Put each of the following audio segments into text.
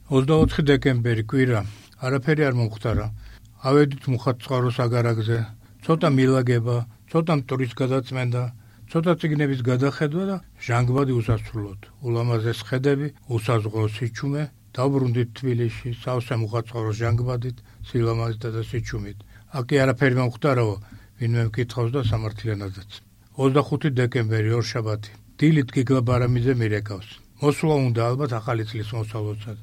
24 დეკემბერი კვირა, არაფერი არ მომხდარა. ავედით მუხათწყაროს აგარაგზე, ცოტა მილაგება, ცოტა მტვრის გადაწმენდა, ცოტა წიგნების გადახედვა და ჟანგბადი უსასრულოდ. ულამაზეს ხედები, უსაზღრო სიჩუმე, დავბრუნდით თბილისში, სავსე მუხათწყაროს ჟანგბადით, სილამაზით და სიჩუმით. აკი არაფერი მომხდარაო, ვინმე მკითხავს და სამართლიანადაც. 25 დეკემბერი ორშაბათი. დილით გიგლა ბარამიძე მირეკავს. მოსვლა უნდა ალბათ ახალი წლის მოსალოცად.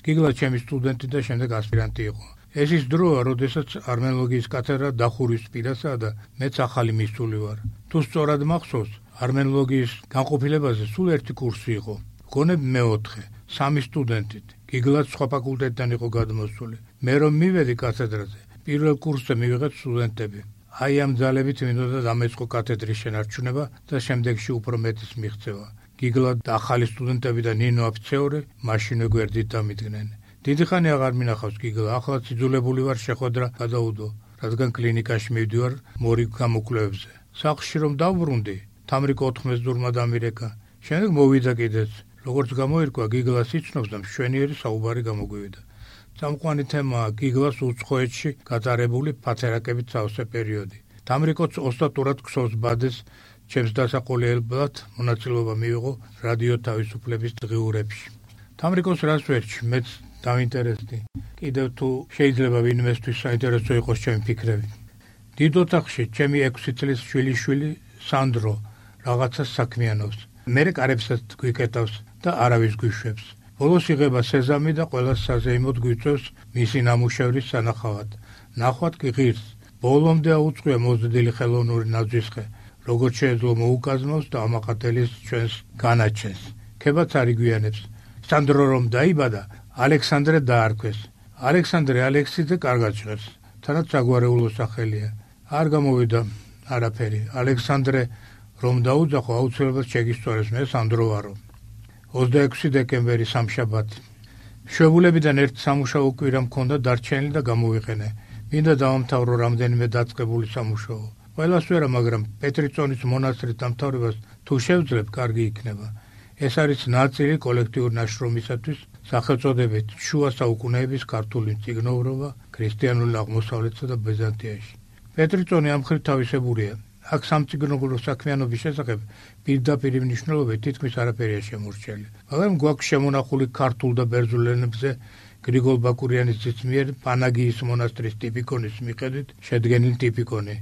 გიგლა ჩემი სტუდენტი და შემდეგ ასპირანტი იყო. ეს ის დროა, როდესაც არმენოლოგიის კათედრა დახურვის პირასაა და მეც ახალი მისული ვარ. თუ სწორად მახსოვს, არმენოლოგიის განყოფილებაზე სულ ერთი კურსი იყო. გონებ მეოთხე, 3 სტუდენტით. გიგლაც სხვა ფაკულტეტიდან იყო გადმოსული. მე რომ მივედი კათედრაზე, პირველ კურსზე მივიღეთ სტუდენტები. აი ამ ძალებით მინდოდა დამეწყო კათედრის შენარჩუნება და შემდეგში უფრო მეტის მიღწევა. გიგლა და ახალი სტუდენტები და ნინო აფიცეური მაშინვე გვერდით დამიდგნენ. დიდი ხანი აღარ მინახავს გიგლა, ახლაც იძულებული ვარ შეხვედრა გადაუდო, რადგან კლინიკაში მივდივარ მორიგ გამოკვლევებზე. სახლში რომ დავბრუნდი, თამრიკო 14 დურმა დამირეკა. შემდეგ მოვიდა კიდეც. როგორც გამოირკვა, გიგლას იცნობს და მშვენიერი საუბარი გამოგვივიდა. წამყვანი თემაა გიგლას უცხოეთში გატარებული ფათერაკებით სავსე პერიოდი. თამრიკოც ოსტატურად ქსოვს ბადეს, ჩემს დასაყოლებლად მონაწილეობა მიიღო რადიო თავისუფლების დღიურებში. თამრიკოს რას ვერჩი, მეც დავინტერესდი. კიდევ თუ შეიძლება ვინმესთვის საინტერესო იყოს ჩემი ფიქრები. დიდ ოთახში ჩემი 6 წლის შვილიშვილი სანდრო რაღაცას საქმიანობს. მერე კარებსაც გვიკეტავს და არავის გვიშვებს. ბოლოს იღება სეზამი და ყველას საზეიმოდ გვიწევს მისი ნამუშევრის სანახავად. ნახვად კი ღირს. ბოლომდე აუწყია მოზრდილი ხელოვნური ნაძვისხე, როგორც შეეძლო მოუკაზმავს და ამაყატელის ჩვენს განაჩენს. ქებაც არ იგვიანებს. სანდრო რომ დაიბადა, ალექსანდრე დაარქვეს. ალექსანდრე ალექსიძე კარგად ჟღერს. თანაც საგვარეულო სახელია. არ გამოვიდა არაფერი. ალექსანდრე რომ დაუძახო, აუცილებლად შეგისწორებს, მე სანდრო ვარო. 26 დეკემბერი სამშაბათი. მშობლებიდან ერთ სამუშაო კვირა მქონდა დარჩენილი და გამოვიყენე. მინდა დავამთავრო რამდენიმე დაწყებული სამუშაო. ყველას ვერა, მაგრამ პეტრიწონის მონასტრის დამთავრებას თუ შევძლებ, კარგი იქნება. ეს არის ნაწილი კოლექტიური ნაშრომისათვის სახელწოდებით შუა საუკუნეების ქართული მწიგნობრობა ქრისტიანულ აღმოსავლეთსა და ბიზანტიაში. პეტრიწონი ამ მხრივ თავისებურია. აქ სამწიგნობრო საქმიანობის შესახებ პირდაპირ მნიშვნელობით თითქმის არაფერია შემორჩენილი. მაგრამ გვაქვს შემონახული ქართულ და ბერძნულ ენებზე გრიგოლ ბაკურიანის ძის მიერ პანაგიის მონასტრის ტიპიკონის მიხედვით შედგენილი ტიპიკონი.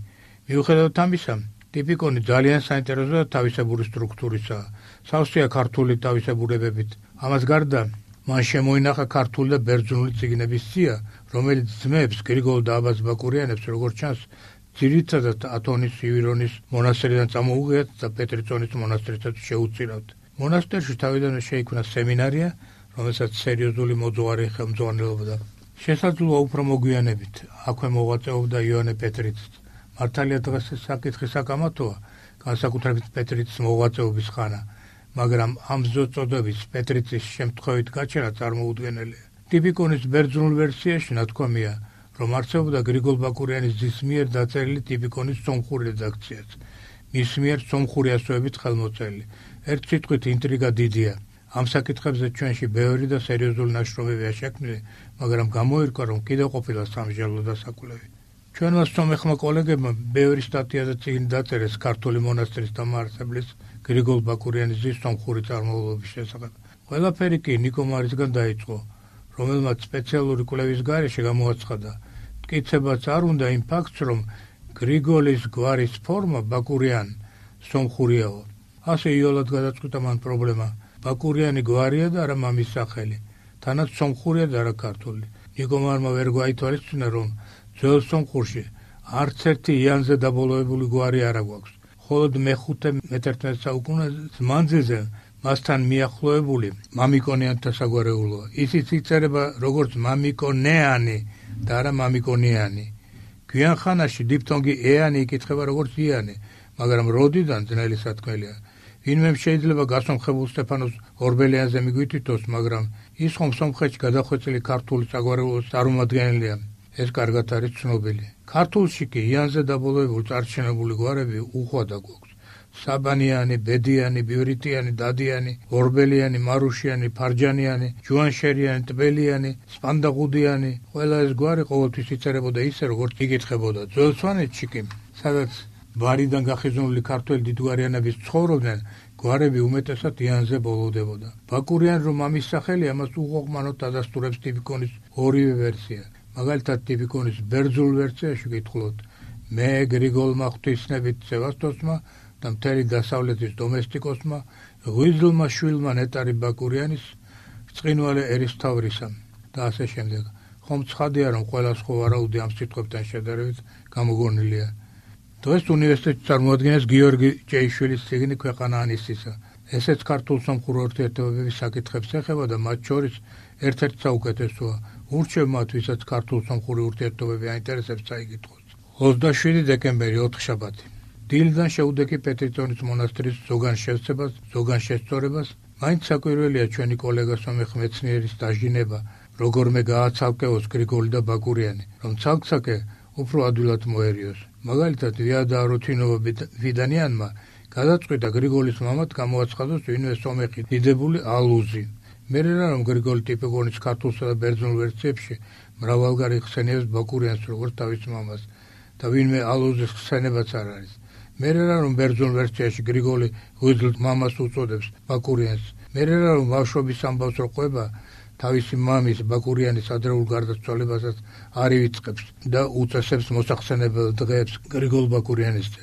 მიუხედავად ამისა, ტიპიკონი ძალიან საინტერესო და თავისებური სტრუქტურისაა. სავსეა ქართული თავისებურებებით. ამას გარდა მან შემოინახა ქართული და ბერძნული წიგნების სია, რომელიც ძმებს გრიგოლ და აბაზ ბაკურიანებს, როგორც ჩანს, ძირითადად ათონის ივირონის მონასტრიდან წამოუღიათ და პეტრიწონის მონასტრისაც შეუწირავთ. მონასტერში თავიდანვე შეიქმნა სემინარია, რომელსაც სერიოზული მოძღვარი ხელმძღვანელობდა. შესაძლოა უფრო მოგვიანებით, აქვე მოღვაწეობდა იოანე პეტრიციც. მართალია დღეს ეს საკითხი საკამათოა, განსაკუთრებით პეტრიცის მოღვაწეობის ხანა, მაგრამ ამ ზოწოდების პეტრიცის შემთხვევით გაჩენა წარმოუდგენელია. ტიპიკონის ბერძნულ ვერსიაში ნათქვამია, რომ არსებობდა გრიგოლ ბაკურიანის ძის მიერ დაწერილი ტიპიკონის სომხური რედაქციაც, მის მიერ სომხური ასოებით ხელმოწერილი. ერთ სიტყვით ინტრიგა დიდია. ამ საკითხებზე ჩვენში ბევრი და სერიოზული ნაშრომებია შექმნილი, მაგრამ გამოირკვა, რომ კიდევ ყოფილა სამსჯელო დასაკვლევი. ჩვენმა სომეხმა კოლეგებმა ბევრი სტატია და წიგნი დაწერეს ქართული მონასტრის დამაარსებლის გრიგოლ ბაკურიანის ძის სომხური წარმომავლობის შესახებ. ყველაფერი კი ნიკო მარისგან დაიწყო, რომელმაც სპეციალური კვლევის გარეშე გამოაცხადა. მტკიცებაც არ უნდა იმ ფაქტს, რომ გრიგოლის გვარის ფორმა ბაკურიან სომხურიაო. ასე იოლად გადაწყვიტა მან პრობლემა. ბაკურიანი გვარია და არა მამის სახელი. თანაც სომხურია და არა ქართული. ნიკომარმა ვერ გვაითვალისწინა, რომ ძველ სომხურში არც ერთი იანზე დაბოლოებული გვარი არ აქვს. მხოლოდ მე-5-11 საუკუნეების მანძილზე მასთან მიახლოებული მამიკონიანთა საგვარეულოა. ისიც იწერება როგორც მამიკონეანი და არა მამიკონიანი. გვიან ხანაში დიფთონგი ეანი იკითხება როგორც იანი, მაგრამ როდიდან ძნელი სათქმელია. ვინმე შეიძლება გასომხებულ სტეფანოს ორბელიანზე მიგვითითოს, მაგრამ ის ხომ სომხეთში გადახვეწილი ქართული საგვარეულოს წარმომადგენელია. ეს კარგად არის ცნობილი. ქართულში კი იანზე დაბოლოებული წარჩინებული გვარები უხვად აგვაქვს. საბანიანი, ბედიანი, ბივრიტიანი, დადიანი, ორბელიანი, მარუშიანი, ფარჯანიანი, ჯუანშერიანი, ტბელიანი, სპანდაღუდიანი, ყველა ეს გვარი ყოველთვის იწერებოდა ისე, როგორც იკითხებოდა. ძველ სვანეთში კი, სადაც ბარიდან გახიზნული ქართველი დიდგვარიანების ცხოვრობდნენ, გვარები უმეტესად იანზე ბოლოვდებოდა. ბაკურიანი რომ ამის სახელი ამას უღოღმანოდ დადასტურებს ტიპიკონის ორივე ვერსია. მაგალითად ტიპიკონის ბერძნულ ვერსიაში გითხულოთ მე გრიგოლმა ღვთისნებით სევასტოსმა და მთელი დასავლეთის დომესტიკოსმა ღვიძლმა შვილმა ნეტარი ბაკურიანის წყინვალე ერისთავრისა და ასე შემდეგ. ხომ ცხადია რომ ყველა სხვა ვარაუდი ამ სიტყვებთან შედარებით გამოგონილია. დღეს უნივერსიტეტში წარმოადგენს გიორგი ჭეიშვილის წიგნი ქვეყანა ანისისა. ესეც ქართულ სომხურ ურთიერთობების საკითხებს ეხება და მათ შორის ერთ-ერთი საუკეთესოა. ურჩევ მათ, ვისაც ქართულ სომხური ურთიერთობები აინტერესებს წაიკითხოს. 27 დეკემბერი 4 შაბათი. დილიდან შეუდექი პეტრიტონის მონასტრის ზოგან შევსებას, ზოგან შესწორებას, მაინც საკვირველია ჩვენი კოლეგა სომეხ მეცნიერის დაჟინება, როგორმე გააცალკეოს გრიგოლი და ბაკურიანი, რომ ცალკ-ცალკე უფრო ადვილად მოერიოს. მაგალითად, ვიადა რუთინოვა ვიდანიანმა გადაწყვიტა გრიგოლის მამად გამოაცხადოს ვინმე სომეხი დიდებული ალუზი. მერე რა რომ გრიგოლი ტიპიკონის ქართულსა და ბერძნულ ვერსიებში მრავალგარი ხსენიებს ბაკურიანს როგორც თავის მამას და ვინმე ალუზის ხსენებაც არ არის. მერე რა რომ ბერძნულ ვერსიაში გრიგოლი ღვიძლ მამას უწოდებს ბაკურიანს. მერე რა რომ ბავშვობის ამბავს რო ყვება თავისი მამის ბაკურიანის ადრეულ გარდაცვალებასაც არ ივიწყებს და უწესებს მოსახსენებელ დღეებს გრიგოლ ბაკურიანისზე.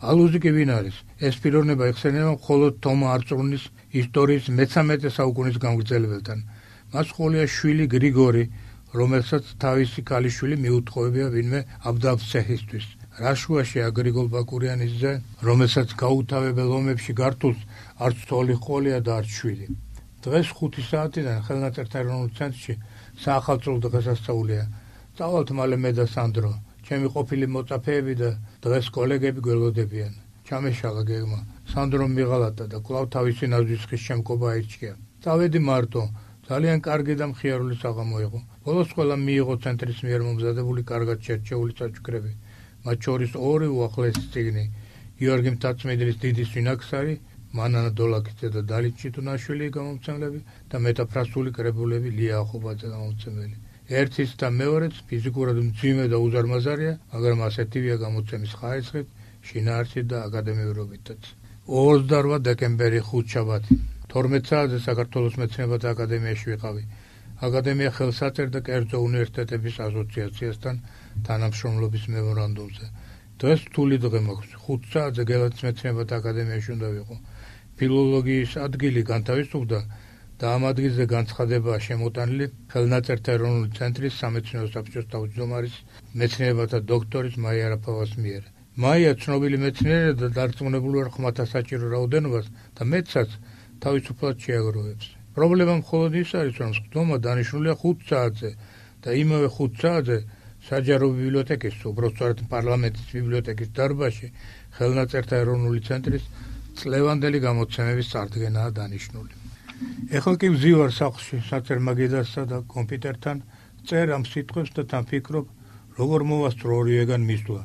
ალუზი კი ვინ არის? ეს პიროვნება იხსენება მხოლოდ თომა არწრუნის ისტორიის მე-13 საუკუნის გამგრძელებელთან. მას ყოლია შვილი გრიგორი, რომელსაც თავისი ქალიშვილი მიუთხოვებია ვინმე აბდალცეჰისთვის. რა შუაშია გრიგოლ ბაკურიანისზე, რომელსაც გაუთავებელ ომებში გართულს არც თოლი ყოლია და არც შვილი. დღეს 5 საათიდან ხელნაწერთა ეროვნულ ცენტრში საახალწლო დღესასწაულია. წავალთ მალე მე და სანდრო. ჩემი ყოფილი მოწაფეები და დღეს კოლეგები გველოდებიან. ჩამეშალა გეგმა. სანდრომ მიღალატა და კვლავ თავისი ნაზვის ხის შემკობა აირჩია. წავედი მარტო. ძალიან კარგი და მხიარული საღამო იყო. ბოლოს ყველა მიიღო ცენტრის მიერ მომზადებული კარგად შერჩეული წაჭკრები. მათ შორის ორი უახლესი წიგნი. გიორგი მთაწმიდლის დიდი სვინაქსარი, მანანა დოლაკიძე და დალით ჩიტუნაშვილი გამომცემლები და მეტაფრასული კრებულები ლია ახობაძე გამომცემელი. ერთის და მეორეც ფიზიკურად მძიმე და უზარმაზარია, მაგრამ ასეთივეა გამოცემის ხარისხით, შინაარსით და აკადემიურობითაც. 28 დეკემბერი 5 შაბათი. 12 საათზე საქართველოს მეცნიერებათა აკადემიაში ვიყავი. აკადემია ხელს აწერდა კერძო უნივერსიტეტების ასოციაციასთან თანამშრომლობის მემორანდუმზე. დღეს რთული დღე მაქვს. 5 საათზე გელათის მეცნიერებათა აკადემიაში უნდა ვიყო. ფილოლოგიის ადგილი განთავისუფლდა და ამ ადგილზე განცხადებაა შემოტანილი ხელნაწერთა ეროვნული ცენტრის სამეცნიერო საბჭოს თავმჯდომარის მეცნიერებათა დოქტორის მაია არაფავას მიერ. მაია ცნობილი მეცნიერია და დარწმუნებული ვარ ხმათა საჭირო რაოდენობას და მეცაც თავისუფლად შეაგროვებს. პრობლემა მხოლოდ ის არის, რომ სხდომა დანიშნულია 5 საათზე და იმავე 5 საათზე საჯარო ბიბლიოთეკის, უბრალოდ პარლამენტის ბიბლიოთეკის დარბაზში ხელნაწერთა ეროვნული ცენტრის წლევანდელი გამოცემების წარდგენაა დანიშნული. ეხლა კი ვზივარ სახლში საცერმაგედასა და კომპიუტერთან, წერ ამ სიტყვებს და თან ფიქრობ, როგორ მოვასწრო ორივეგან მისვლა,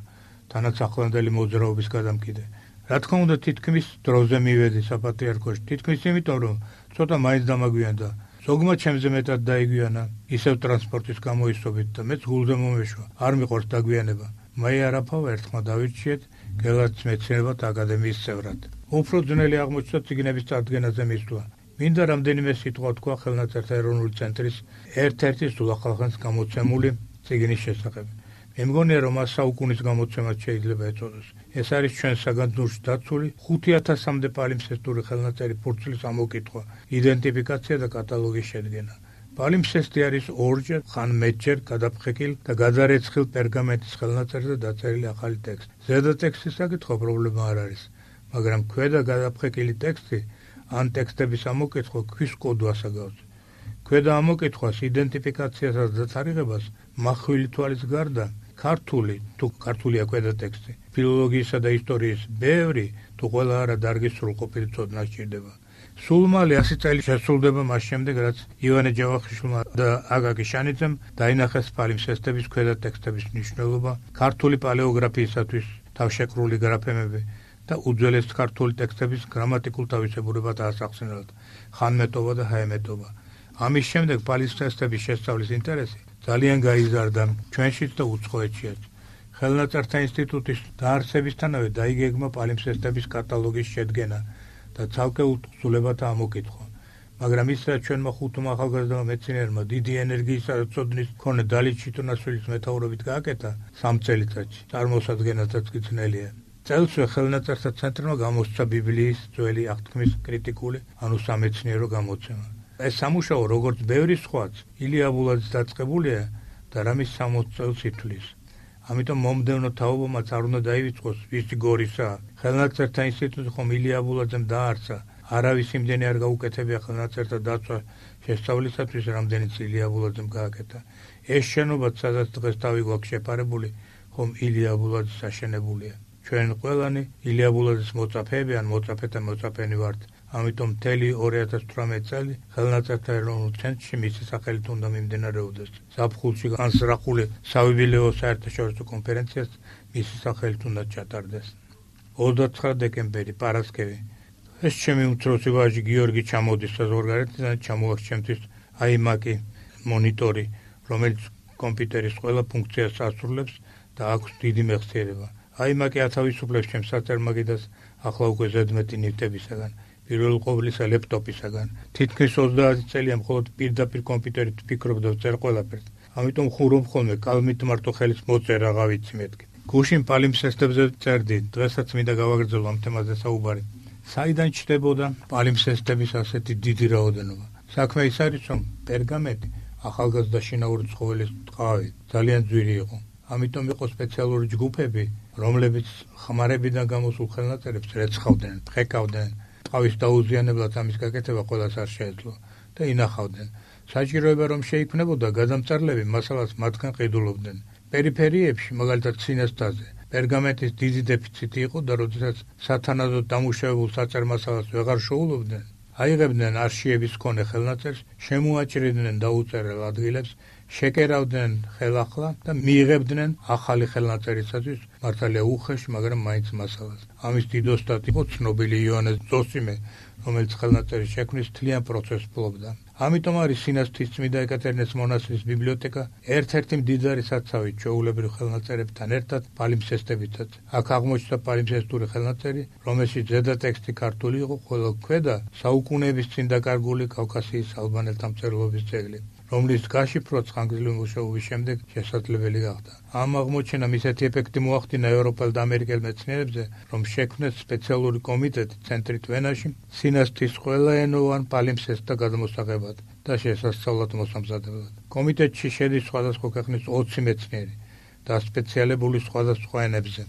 თანაც ახლანდელი მოძრაობის გადამკიდე. რა თქმა უნდა, თითქმის დროზე მივედი საპატრიარქოში, თითქმის იმიტომ, რომ ცოტა მაინც დამაგვიანდა. ზოგმა ჩემზე მეტად დაიგვიანა, ისევ ტრანსპორტის გამოისობით და მეც გულზე მომეშვა. არ მიყვარს დაგვიანება. მაია არაფავა ერთხმა დავირჩიეთ გელათის მეცნიერებათა აკადემიის წევრად. უფრო ძნელი აღმოჩნდა წიგნების წარდგენაზე მისვლა. მინდა რამდენიმე სიტყვა თქვა ხელნაწერთა ეროვნული ცენტრის ერთ-ერთი სულახალხანს გამოცემული წიგნის შესახებ. მე მგონია, რომ მას საუკუნის გამოცემაც შეიძლება ეწოდოს. ეს არის ჩვენ საგანძურში დაცული 5000-მდე პალიმსესტური ხელნაწერი ფურცლის ამოკითხვა, იდენტიფიკაცია და კატალოგის შედგენა. პალიმსესტი არის ორჯერ, ხან მეტჯერ გადაფხეკილ და გადარეცხილ პერგამენტის ხელნაწერზე დაწერილი ახალი ტექსტი. ზედა ტექსტის საკითხვა პრობლემა არ არის, მაგრამ ქვედა გადაფხეკილი ტექსტი ან ტექსტების ამოკითხვა ქვის კოდვას ასაგავს. ქვედა ამოკითხვას, იდენტიფიკაციასაც და თარიღებას მახვილი თვალის გარდა ქართული, თუ ქართულია ქვედა ტექსტი, ფილოლოგიისა და ისტორიის ბევრი, თუ ყველა არა დარგის სრულყოფილი ცოდნა სჭირდება. სულ მალე 100 წელი შესრულდება მას შემდეგ, რაც ივანე ჯავახიშვილმა და აკაკი შანიძემ დაინახეს პალიმსესტების ქვედა ტექსტების მნიშვნელობა, ქართული პალეოგრაფიისათვის თავშეკრული გრაფემები და უძველეს ქართული ტექსტების გრამატიკულ თავისებურებად ასახსენებდა ხანმეტობა და ჰაემეტობა. ამის შემდეგ პალიმსესტების შესწავლის ინტერესი ძალიან გაიზარდა ჩვენშიც და უცხოეთშიც. ხელნაწერთა ინსტიტუტის დაარსებისთანავე დაიგეგმა პალიმსესტების კატალოგის შედგენა და ცალკეულ თხზულებათა ამოკითხვა. მაგრამ ის რაც ჩვენმა ხუთმა ახალგაზრდამა მეცნიერმა დიდი ენერგიისა და ცოდნის მქონე დალით ჩიტუნაშვილის მეთაურობით გააკეთა 3 წელიწადში, წარმოსადგენადაც კი ძნელია. წელსვე ხელნაწერთა ცენტრმა გამოსცა ბიბლიის ძველი აღთქმის კრიტიკული, ანუ სამეცნიერო გამოცემა. ეს სამუშაო, როგორც ბევრი სხვაც, ილია აბულაძის დაწყებულია და რამის 60 წელს ითვლის. ამიტომ მომდევნო თაობამაც არ უნდა დაივიწყოს ვისი გორისა. ხელნაწერთა ინსტიტუტი ხომ ილია აბულაძემ დაარსა. არავის იმდენი არ გაუკეთებია ხელნაწერთა დაცვა შესწავლისათვის, რამდენიც ილია აბულაძემ გააკეთა. ეს შენობაც, სადაც დღეს თავი გვაქვს შეფარებული, ხომ ილია აბულაძის აშენებულია. ჩვენ ყველანი ილია აბულაძის მოწაფეები ან მოწაფეთა მოწაფენი ვართ. ამიტომ მთელი 2018 წელი ხელნაწერთა ეროვნულ ცენტრში მისი სახელით უნდა მიმდინარეობდეს. ზაფხულში განსწრაფული საიუბილეო საერთაშორისო კონფერენციას მისი სახელით უნდა ჩატარდეს. 29 დეკემბერი, პარასკევი. ეს ჩემი უმცროსი ვაჟი გიორგი ჩამოდის საზღვარგარეთიდან, ჩამოაქვს ჩემთვის iMac-ი მონიტორი, რომელიც კომპიუტერის ყველა ფუნქციას ასრულებს და აქვს დიდი მეხსიერება. iMac-ი ათავისუფლებს ჩემს საწარმოაგიდას ახლა უკვე ზედმეტი ნივთებისაგან. პირველ ყოვლისა ლეპტოპისაგან. თითქმის 30 წელია მხოლოდ პირდაპირ კომპიუტერით ვფიქრობ და ვწერ ყველაფერს. ამიტომ ხურობ ხოლმე კალმით მარტო ხელის მოწერა რა ვიცი მეთქი. გუშინ პალიმსესტებზე წერდი, დღესაც მინდა გავაგრძელო ამ თემაზე საუბარი. საიდან ჩნდებოდა პალიმსესტების ასეთი დიდი რაოდენობა? საქმე ის არის, რომ პერგამენტი ახალგაზრდა შინაური ცხოველის ტყავი ძალიან ძვირი იყო. ამიტომ იყო სპეციალური ჯგუფები, რომლებიც ხმარებიდან გამოსულ ხელნაწერებს რეცხავდნენ, ფხეკავდნენ. ტყავის დაუზიანებლად ამის გაკეთება ყველას არ შეეძლო და ინახავდნენ. საჭიროება რომ შეიქმნებოდა გადამწარლები მასალას მათგან ყიდულობდნენ. პერიფერიებში, მაგალითად სინესტაზე, პერგამენტის დიდი დეფიციტი იყო და როდესაც სათანადოდ დამუშავებულ საწერ მასალას ვეღარ შოულობდნენ, აიღებდნენ არშიების მქონე ხელნაწერს, შემოაჭრიდნენ დაუწერელ ადგილებს, შეკერავდნენ ხელახლა და მიიღებდნენ ახალი ხელნაწერისათვის მართალია უხეში, მაგრამ მაინც მასალას. ამის დიდ ოსტატი იყო ცნობილი იოანე ზოსიმე, რომელიც ხელნაწერის შექმნის მთლიან პროცესს ფლობდა. ამიტომ არის სინასტის წმინდა ეკატერინეს მონასტრის ბიბლიოთეკა ერთ-ერთი მდიდარი საცავი ჩვეულებრივ ხელნაწერებთან ერთად პალიმსესტებითაც. აქ აღმოჩნდა პალიმსესტური ხელნაწერი, რომელშიც ზედა ტექსტი ქართული იყო, ხოლო ქვედა საუკუნეების წინ დაკარგული კავკასიის ალბანელთა მწერლობის ძეგლი, რომლის გაშიფრვაც ხანგრძლივი მუშაობის შემდეგ შესაძლებელი გახდა. ამ აღმოჩენამ ისეთი ეფექტი მოახდინა ევროპელ და ამერიკელ მეცნიერებზე, რომ შექმნეს სპეციალური კომიტეტი ცენტრით ვენაში სინასტის ყველაენოვან პალიმსესტთა გადამოსაღებად და შესასწავლად მოსამზადებლად. კომიტეტში შედის სხვადასხვა ქვეყნის 20 მეცნიერი და სპეციალებული სხვადასხვა ენებზე.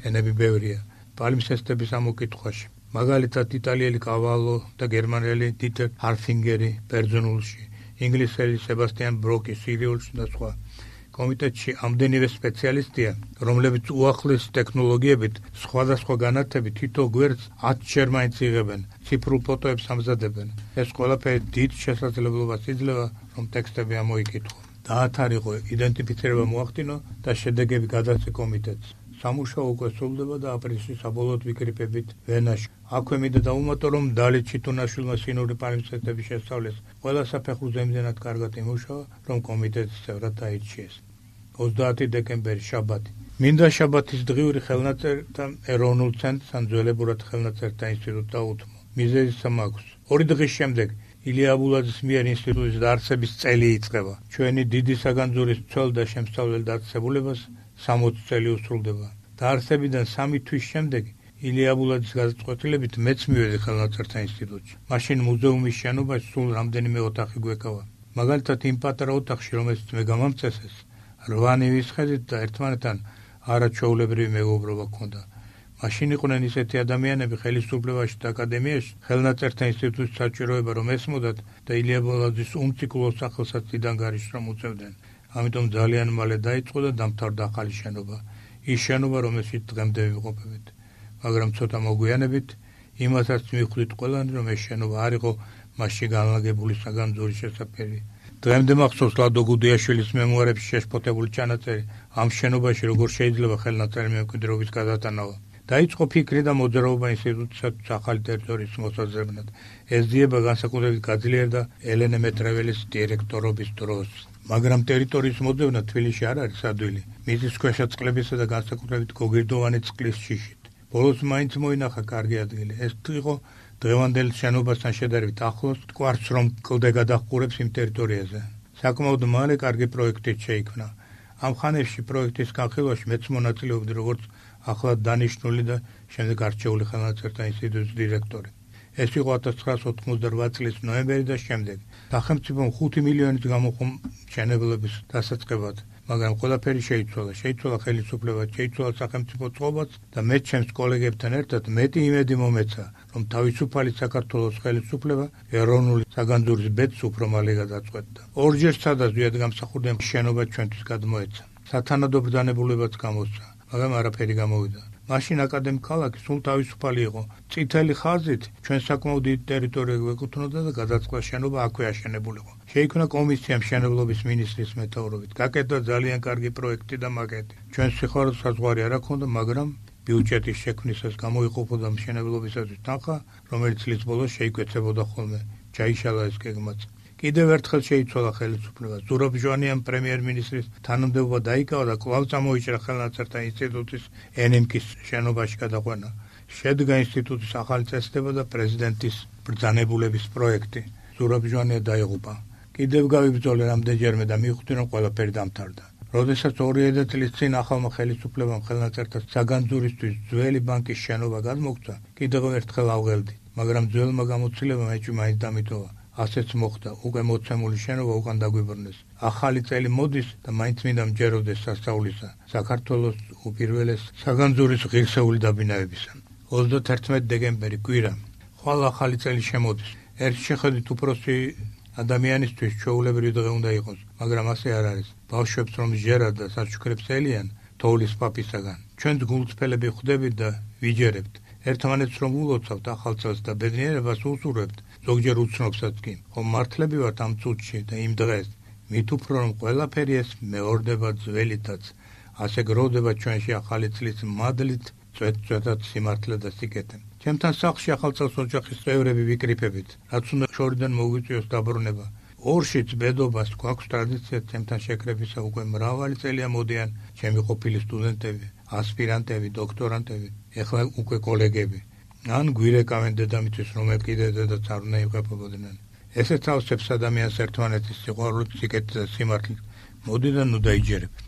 ენები ბევრია პალიმსესტების ამოკითხვაში. მაგალითად იტალიელი კავალო და გერმანელი დიტერ ჰარფინგერი ბერძნულში, ინგლისელი სებასტიან ბროკი სირიულში და სხვა. კომიტეტში ამდენივე სპეციალისტია, რომლებიც უახლესი ტექნოლოგიებით სხვადასხვა განათებით თითო გვერდს 10-ჯერ მაინც იღებენ, ციფრულ ფოტოებს ამზადებენ. ეს ყველაფერი დიდ შესაძლებლობას იძლევა, რომ ტექსტები ამოიკითხო. დაათარიღო, იდენტიფიცირება მოახდინო და შედეგები გადასცა კომიტეტს. სამუშაო უკვე სრულდება და აპრილში საბოლოოდ ვიკრიფებით ვენაში. აქვე მინდა დავუმატო, რომ დალით ჩიტუნაშვილმა სინური პალიმსესტების შესწავლეს ყველა საფეხურზე იმდენად კარგად იმუშავა, რომ კომიტეტის წევრად დაირჩიეს. 30 დეკემბერი, შაბათი. მინდა შაბათის დღიური ხელნაწერთა ეროვნულ ცენტრს ან ძველებურად ხელნაწერთა ინსტიტუტს დაუთმო. მიზეზი მაქვს. 2 დღის შემდეგ ილია აბულაძის მიერ ინსტიტუტის დაარსების წელი იწყება. ჩვენი დიდი საგანძურის მცველ და შემსწავლელ დაწესებულებას 60 წელი უსრულდება. დაარსებიდან 3 თვის შემდეგ ილია აბულაძის გადაწყვეტილებით მეც მივედი ხელნაწერთა ინსტიტუტში. მაშინ მუზეუმის შენობაში სულ რამდენიმე ოთახი გვეკავა. მაგალითად იმ პატარა ოთახში, რომელსაც მე გამამწესეს, 8 ნივის ხედით და ერთმანეთთან არაჩვეულებრივი მეგობრობა ჰქონდა. მაშინ იყვნენ ისეთი ადამიანები ხელისუფლებაში და აკადემიაში, ხელნაწერთა ინსტიტუტის საჭიროება რომ ესმოდათ და ილია აბულაძის უმციკლო სახელსაც დიდან გარიშრომ უწევდნენ. ამიტომ ძალიან მალე დაიწყო და დამთავრდა ახალი შენობა. ის შენობა, რომელშიც დღემდე ვიმყოფებით. მაგრამ ცოტა მოგვიანებით იმასაც მივხვდით ყველანი, რომ ეს შენობა არ იყო მასში განლაგებული საგანძურის შესაფერი. დღემდე მახსოვს ლადო გუდიაშვილის მემუარებში შეშფოთებული ჩანაწერი ამ შენობაში როგორ შეიძლება ხელნაწერი მემკვიდრეობის გადატანავა. დაიწყო ფიქრი და მოძრაობა ინსტიტუტისათვის ახალი ტერიტორიის მოსაზრებად. ეს ძიება განსაკუთრებით გაძლიერდა ელენე მეტრეველის დირექტორობის დროს. მაგრამ ტერიტორიის მოძებნა თბილისში არ არის ადვილი. მიწის ქვეშა წყლებისა და განსაკუთრებით გოგირდოვანი წყლის შიშით. ბოლოს მაინც მოინახა კარგი ადგილი. ეს იყო დღევანდელ შენობასთან შედარებით ახლოს, თქვარს რომ კლდე გადაჰყურებს იმ ტერიტორიაზე. საკმაოდ მალე კარგი პროექტით შეიქმნა. ამ ხანებში პროექტის განხილვაში მეც მონაწილეობდი როგორც ახლად დანიშნული და შემდეგ არჩეული ხელნაწერთა ინსტიტუტის დირექტორი. ეს იყო 1988 წლის ნოემბერი და შემდეგ. სახელმწიფომ 5 მილიონით გამოყო მშენებლობის დასაწყებად, მაგრამ ყველაფერი შეიცვალა. შეიცვალა ხელისუფლება, შეიცვალა სახელმწიფო წყობაც და მე ჩემს კოლეგებთან ერთად მეტი იმედი მომეცა, რომ თავისუფალი საქართველოს ხელისუფლება ეროვნული საგანძურის ბედს უფრო მალე გადაწყვეტდა. ორჯერ სადაზვიად გამსახურდა შენობა ჩვენთვის გადმოეცა. სათანადო ბრძანებულებაც გამოსცა, მაგრამ არაფერი გამოვიდა. მაშინ აკადემიკ ქალაქი სულ თავისუფალი იყო. წითელი ხაზით ჩვენ საკმაოდ დიდ ტერიტორიას გვეკუთვნოდა და გადაწყდა შენობა აქვე აშენებულიყო. შეიქმნა კომისია მშენებლობის მინისტრის მეთაურობით. გაკეთდა ძალიან კარგი პროექტი და მაკეტი. ჩვენ სიხარულს საზღვარი არ აქვს, მაგრამ ბიუჯეტის შექმნისას გამოიყოფოდა მშენებლობისათვის თანხა, რომელიც წლის ბოლოს შეიკვეცებოდა ხოლმე. ჩაიშალა ეს გეგმაც. კიდევ ერთხელ შეიცვალა ხელისუფლება. ზურაბ ჟვანიამ პრემიერ-მინისტრის თანამდებობა დაიკავა და კვლავ წამოიჭრა ხელნაწერთა ინსტიტუტის ენემკის შენობაში გადაყვანა. შედგა ინსტიტუტის ახალი წესდება და პრეზიდენტის ბრძანებულების პროექტი. ზურაბ ჟვანია დაიღუპა. კიდევ გავიბრძოლე რამდენჯერმე და მივხვდი, რომ ყველაფერი დამთავრდა. როდესაც 2 წლის წინ ახალმა ხელისუფლებამ ხელნაწერთა საგანძურისთვის ძველი ბანკის შენობა გადმოგცა, კიდევ ერთხელ ავღელდი, მაგრამ ძველმა გამოცდილებამ ეჭვი მაინც დამიტოვა. ასეც მოხდა, უკვე მოცემული შენობა უკან დაგვიბრუნეს. ახალი წელი მოდის და მაინც მინდა მჯეროდეს სასწაულისა საქართველოს უპირველეს საგანძურის ღირსეული დაბინავებისა. 31 დეკემბერი კვირა. ხვალ ახალი წელი შემოდის. ერთ შეხედვით უფროსი ადამიანისთვის ჩვეულებრივი დღე უნდა იყოს, მაგრამ ასე არ არის. ბავშვებს რომ ჟერად და საჩუქრებს ელიან თოვლის პაპისაგან. ჩვენც გულწრფელები ხვდებით და ვიჯერებთ. ერთმანეთს რომ ულოცავთ ახალ წელს და ბედნიერებას უსურვებთ, ზოგჯერ უცნობსაც კი. ხომ მართლები ვართ ამ წუთში და იმ დღეს, მით უფრო რომ ყველაფერი ეს მეორდება ძველითაც, ასე გროვდება ჩვენში ახალი წლის მადლით, წვეთ-წვეთად სიმართლე და სიკეთე. ჩემთან სახლში ახალ წელს ოჯახის წევრები ვიკრიფებით, რაც უნდა შორიდან მოგვიწვიოს დაბრუნება. ორშიც ბედობას გვაქვს ტრადიცია ჩემთან შეკრებისა, უკვე მრავალი წელია მოდიან ჩემი ყოფილი სტუდენტები, ასპირანტები, დოქტორანტები, ეხლა უკვე კოლეგები. ან გვირეკავენ დედამიწის, რომელ კიდე დედაც არ უნდა იმყოფებოდნენ. ესეც ავსებს ადამიანს ერთმანეთის სიყვარულით, სიკეთით და სიმართლით. მოდი და ნუ დაიჯერებთ.